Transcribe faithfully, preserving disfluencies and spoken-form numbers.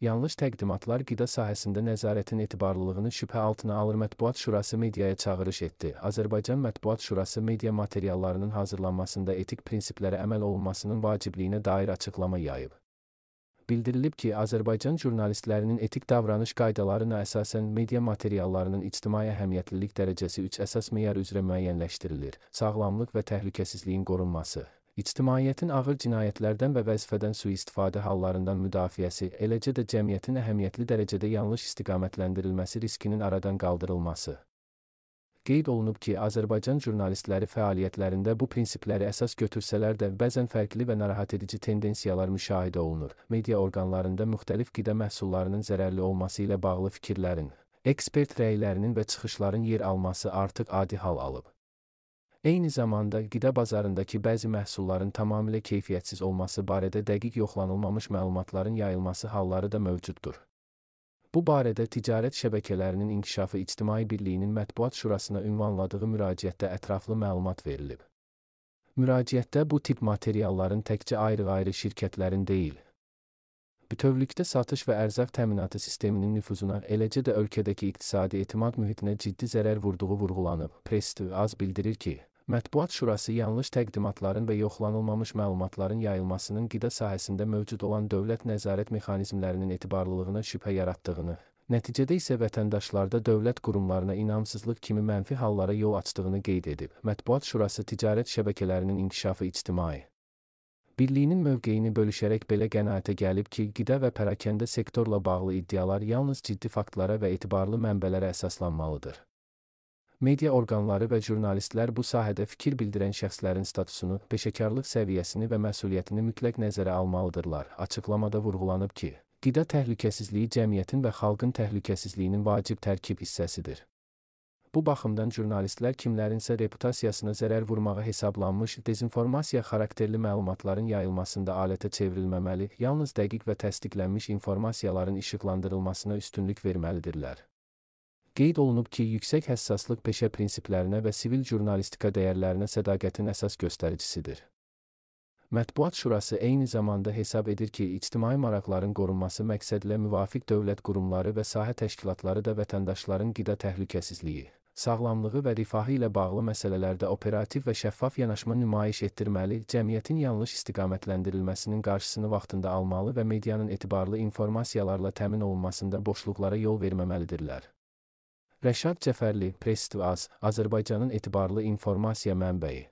Yanlış təqdimatlar qida sahəsində nəzarətin etibarlılığını şübhə altına alır. Mətbuat Şurası mediaya çağırış etdi. Azərbaycan Mətbuat Şurası media materiallarının hazırlanmasında etik prinsiplərə əməl olunmasının vacibliyinə dair açıqlama yayıb. Bildirilib ki, Azərbaycan jurnalistlərinin etik davranış qaydalarına əsasən media materiallarının ictimai əhəmiyyətlilik dərəcəsi üç əsas meyar üzrə müəyyənləşdirilir: sağlamlıq və təhlükəsizliyin qorunması, ictimaiyyətin ağır cinayətlərdən və vəzifədən sui-istifadə hallarından müdafiəsi, eləcə də cəmiyyətin əhəmiyyətli dərəcədə yanlış istiqamətləndirilməsi riskinin aradan qaldırılması. Qeyd olunub ki, Azərbaycan jurnalistləri fəaliyyətlərində bu prinsipləri əsas götürsələr də bəzən fərqli və narahat edici tendensiyalar müşahidə olunur. Media orqanlarında müxtəlif qida məhsullarının zərərli olması ilə bağlı fikirlərin, ekspert rəylərinin və çıxışların yer alması artıq adi hal alıb. Eyni zamanda, qida bazarındakı bəzi məhsulların tamamilə keyfiyyətsiz olması barədə dəqiq yoxlanılmamış məlumatların yayılması halları da mövcuddur. Bu barədə ticarət şəbəkələrinin inkişafı İctimai Birliyinin Mətbuat Şurasına ünvanladığı müraciətdə ətraflı məlumat verilib. Müraciətdə bu tip materialların təkcə ayrı-ayrı şirkətlərin deyil, bütövlükdə satış və ərzaq təminatı sisteminin nüfuzuna, eləcə də ölkədəki iqtisadi etimad mühitinə ciddi zərər vurduğu vurğulanıb. Press T V A Z bildirir ki, Mətbuat Şurası yanlış təqdimatların və yoxlanılmamış məlumatların yayılmasının qida sahəsində mövcud olan dövlət nəzarət mexanizmlərinin etibarlılığına şübhə yaratdığını, nəticədə isə vətəndaşlarda dövlət qurumlarına inamsızlıq kimi mənfi hallara yol açdığını qeyd edib. Mətbuat Şurası ticarət şəbəkələrinin inkişafı İctimai Birliyinin mövqeyini bölüşərək belə qənaətə gəlib ki, qida və pərakəndə sektorla bağlı iddialar yalnız ciddi faktlara və etibarlı mənbələrə əsaslanmalıdır. Media orqanları və jurnalistlər bu sahədə fikir bildirən şəxslərin statusunu, peşəkarlıq səviyyəsini və məsuliyyətini mütləq nəzərə almalıdırlar. Açıqlamada vurğulanıb ki, qida təhlükəsizliyi cəmiyyətin və xalqın təhlükəsizliyinin vacib tərkib hissəsidir. Bu baxımdan jurnalistlər kimlərinsə reputasiyasına zərər vurmağa hesablanmış dezinformasiya xarakterli məlumatların yayılmasında alətə çevrilməməli, yalnız dəqiq və təsdiqlənmiş informasiyaların işıqlandırılmasına üstünlük verməlidirlər. Qeyd olunub ki, yüksək həssaslıq peşə prinsiplərinə və sivil jurnalistika dəyərlərinə sədaqətin əsas göstəricisidir. Mətbuat Şurası eyni zamanda hesab edir ki, ictimai maraqların qorunması məqsədilə müvafiq dövlət qurumları və sahə təşkilatları da vətəndaşların qida təhlükəsizliyi, sağlamlığı və rifahı ilə bağlı məsələlərdə operativ və şəffaf yanaşma nümayiş etdirməli, cəmiyyətin yanlış istiqamətləndirilməsinin qarşısını vaxtında almalı və medianın etibarlı informasiyalarla təmin olunmasında boşluqlara yol verməməlidirlər. Rəşad Cəfərli, Press T V A Z, Azərbaycanın etibarlı informasiya mənbəyi.